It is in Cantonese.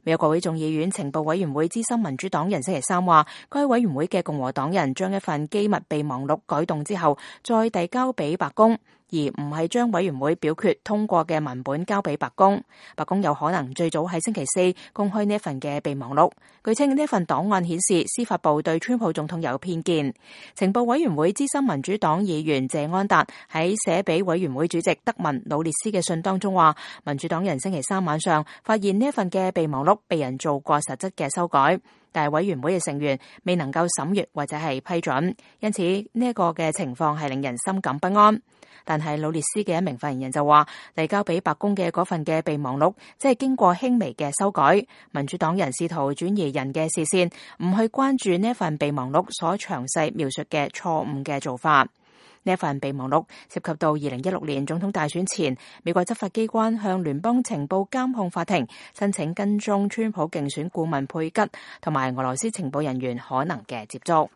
美國國會眾議院情報委員會資深民主黨人星期三話，該委員會嘅共和黨人將一份機密備忘錄改動之後，再遞交俾白宮，而唔係將委員會表決通過嘅文本交俾白宮。白宮有可能最早喺星期四公開呢一份嘅備忘錄。據稱呢一份檔案顯示司法部對川普總統有偏見。情報委員會資深民主黨議員謝安達喺寫俾委員會主席德文努列斯嘅信當中話，民主黨人星期三晚上發現呢一份嘅備忘錄被人做過實質嘅修改，但係委員會嘅成員未能夠審閱或者係批准，因此呢一個嘅情況係令人深感不安。但係努列斯嘅一名發言人就話，遞交俾白宮嘅嗰份嘅備忘錄即係經過輕微嘅修改，民主黨人試圖轉移人嘅視線，唔去關注呢一份備忘錄所詳細描述嘅錯誤嘅做法。呢一份備忘錄涉及到2016年總統大選前，美國執法機關向聯邦情報監控法庭申請跟蹤川普競選顧問佩吉同埋俄羅斯情報人員可能嘅接觸。